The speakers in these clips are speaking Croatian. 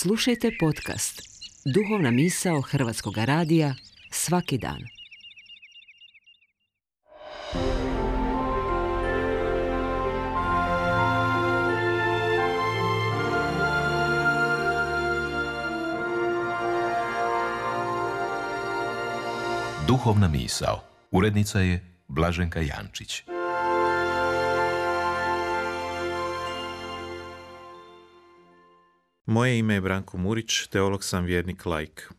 Slušajte podcast Duhovna misao Hrvatskog radija svaki dan. Duhovna misao. Urednica je Blaženka Jančić. Moje ime je Branko Murić, teolog sam, vjernik, laik.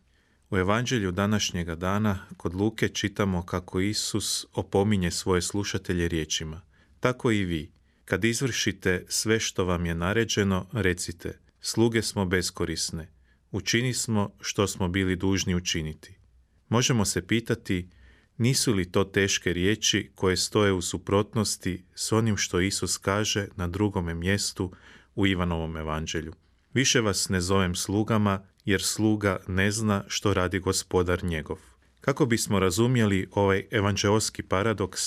U evanđelju današnjega dana kod Luke čitamo kako Isus opominje svoje slušatelje riječima: tako i vi, kad izvršite sve što vam je naređeno, recite: sluge smo beskorisne, učini smo što smo bili dužni učiniti. Možemo se pitati, nisu li to teške riječi koje stoje u suprotnosti s onim što Isus kaže na drugome mjestu u Ivanovom evanđelju? Više vas ne zovem slugama, jer sluga ne zna što radi gospodar njegov. Kako bismo razumjeli ovaj evanđeoski paradoks,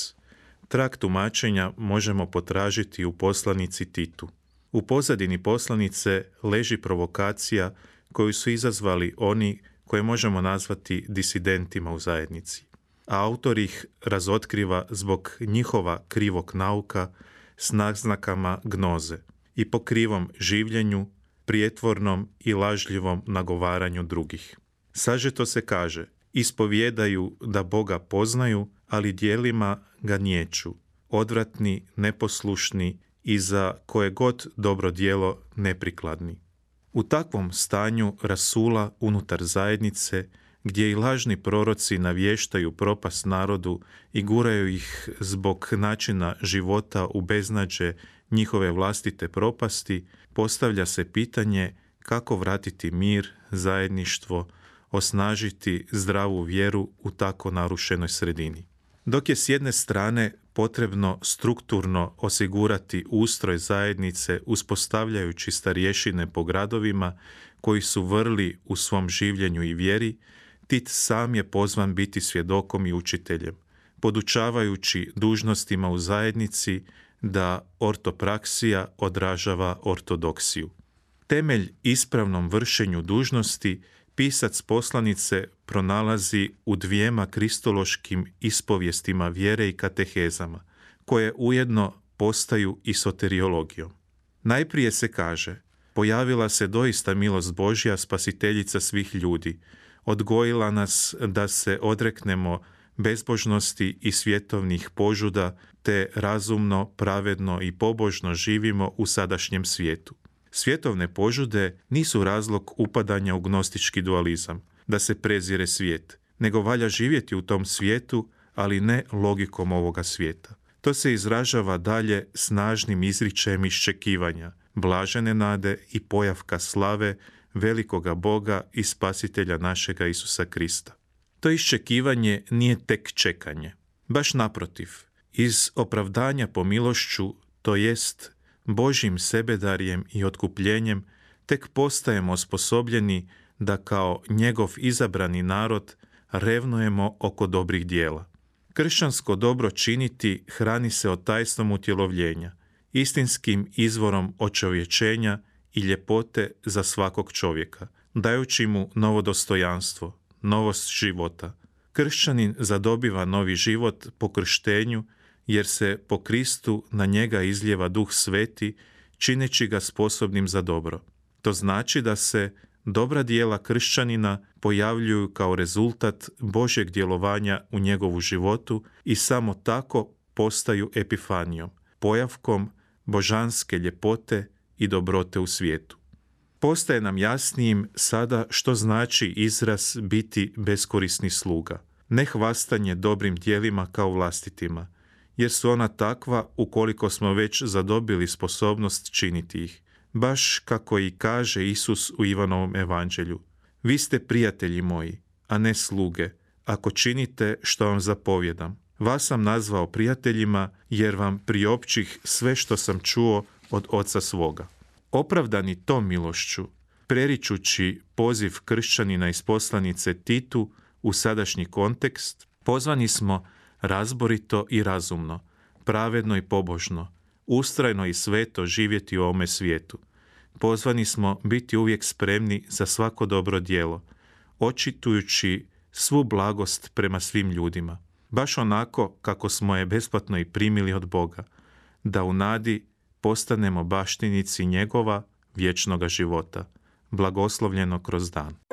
trag tumačenja možemo potražiti u poslanici Titu. U pozadini poslanice leži provokacija koju su izazvali oni koje možemo nazvati disidentima u zajednici, a autor ih razotkriva zbog njihova krivog nauka s naznakama gnoze i po krivom življenju, prijetvornom i lažljivom nagovaranju drugih. Sažeto se kaže: ispovijedaju da Boga poznaju, ali djelima ga niječu, odvratni, neposlušni i za koje god dobro djelo neprikladni. U takvom stanju rasula unutar zajednice, gdje i lažni proroci navještaju propast narodu i guraju ih zbog načina života u beznađe njihove vlastite propasti, postavlja se pitanje kako vratiti mir, zajedništvo, osnažiti zdravu vjeru u tako narušenoj sredini. Dok je s jedne strane potrebno strukturno osigurati ustroj zajednice uspostavljajući starješine po gradovima koji su vrli u svom življenju i vjeri, Tit sam je pozvan biti svjedokom i učiteljem, podučavajući dužnostima u zajednici da ortopraksija odražava ortodoksiju. Temelj ispravnom vršenju dužnosti pisac poslanice pronalazi u dvijema kristološkim ispovijestima vjere i katehezama, koje ujedno postaju i soteriologijom. Najprije se kaže: pojavila se doista milost Božja, spasiteljica svih ljudi, odgojila nas da se odreknemo bezbožnosti i svjetovnih požuda, te razumno, pravedno i pobožno živimo u sadašnjem svijetu. Svjetovne požude nisu razlog upadanja u gnostički dualizam, da se prezire svijet, nego valja živjeti u tom svijetu, ali ne logikom ovoga svijeta. To se izražava dalje snažnim izričajem iščekivanja, blažene nade i pojavka slave velikoga Boga i Spasitelja našega Isusa Krista. To iščekivanje nije tek čekanje. Baš naprotiv, iz opravdanja po milošću, to jest Božjim sebedarjem i otkupljenjem, tek postajemo osposobljeni da kao njegov izabrani narod revnujemo oko dobrih dijela. Kršćansko dobro činiti hrani se od tajstvom utjelovljenja, istinskim izvorom očovječenja i ljepote za svakog čovjeka, dajući mu novo dostojanstvo, novost života. Kršćanin zadobiva novi život po krštenju, jer se po Kristu na njega izlijeva Duh Sveti, čineći ga sposobnim za dobro. To znači da se dobra djela kršćanina pojavljuju kao rezultat Božjeg djelovanja u njegovu životu i samo tako postaju epifanijom, pojavkom božanske ljepote i dobrote u svijetu. Postaje nam jasnijim sada što znači izraz biti beskorisni sluga, ne hvastanje dobrim djelima kao vlastitima, jer su ona takva ukoliko smo već zadobili sposobnost činiti ih. Baš kako i kaže Isus u Ivanovom evanđelju: vi ste prijatelji moji, a ne sluge, ako činite što vam zapovjedam. Vas sam nazvao prijateljima, jer vam priopćih sve što sam čuo od Oca svoga. Opravdani tom milošću, preričući poziv kršćanina iz poslanice Titu u sadašnji kontekst, pozvani smo razborito i razumno, pravedno i pobožno, ustrajno i sveto živjeti u ovome svijetu, pozvani smo biti uvijek spremni za svako dobro djelo, očitujući svu blagost prema svim ljudima, baš onako kako smo je besplatno i primili od Boga, da u nadi postanemo baštinici njegova vječnoga života, blagoslovljeno kroz dan.